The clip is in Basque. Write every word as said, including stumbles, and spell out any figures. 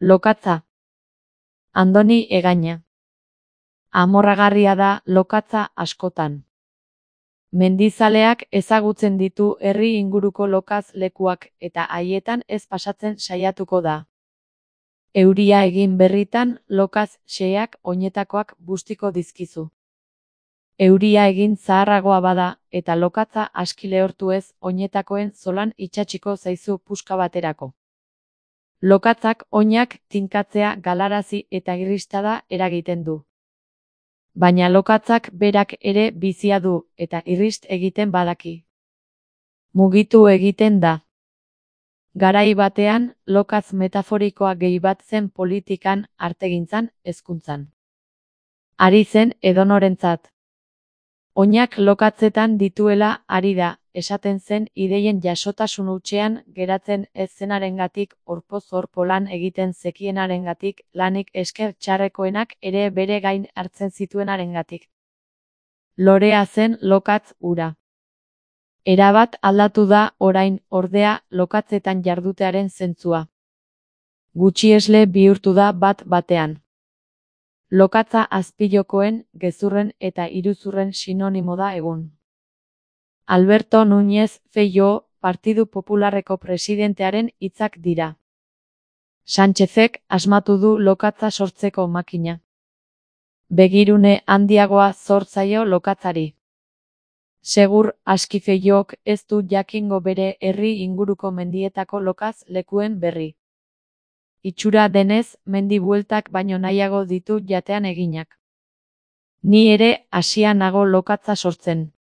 Lokatza. Andoni Egaña. Amorragarria da lokatza askotan. Mendizaleak ezagutzen ditu herri inguruko lokatz lekuak eta haietan ez pasatzen saiatuko da. Euria egin berritan lokatz xeheak oinetakoak bustiko dizkizu. Euria egin zaharragoa bada eta lokatza aski lehortu ez oinetakoen zolan itsatsiko zaizu puska baterako. Lokatzak oinak tinkatzea galarazi eta irristada eragiten du. Baina lokatzak berak ere bizia du eta irrist egiten badaki. Mugitu egiten da. Garai batean, lokatz metaforikoa gehi bat zen politikan, artegintzan, hezkuntzan. Ari zen edonorentzat. Oinak lokatzetan dituela ari da, esaten zen ideien jasotasun hutsean geratzen ez zenarengatik orpoz orpo lan egiten zekienarengatik, lanik esker txarrekoenak ere bere gain hartzen zituenarengatik. Lorea zen lokatz hura. Erabat aldatu da orain, ordea, lokatzetan jardutearen zentzua. Gutxiesle bihurtu da bat batean. Lokatza azpilokoen, gezurren eta iruzurren sinonimo da egun. Alberto Núñez Feijóo, Partidu Popularreko presidentearen hitzak dira. Sánchezek asmatu du lokatza sortzeko makina. Begirune handiagoa zor zaio lokatzari. Segur aski Feijóok ez du jakingo bere herri inguruko mendietako lokatz lekuen berri. Itxura denez, mendi bueltak baino nahiago ditu jatean eginak. Ni ere hasia nago lokatza sortzen.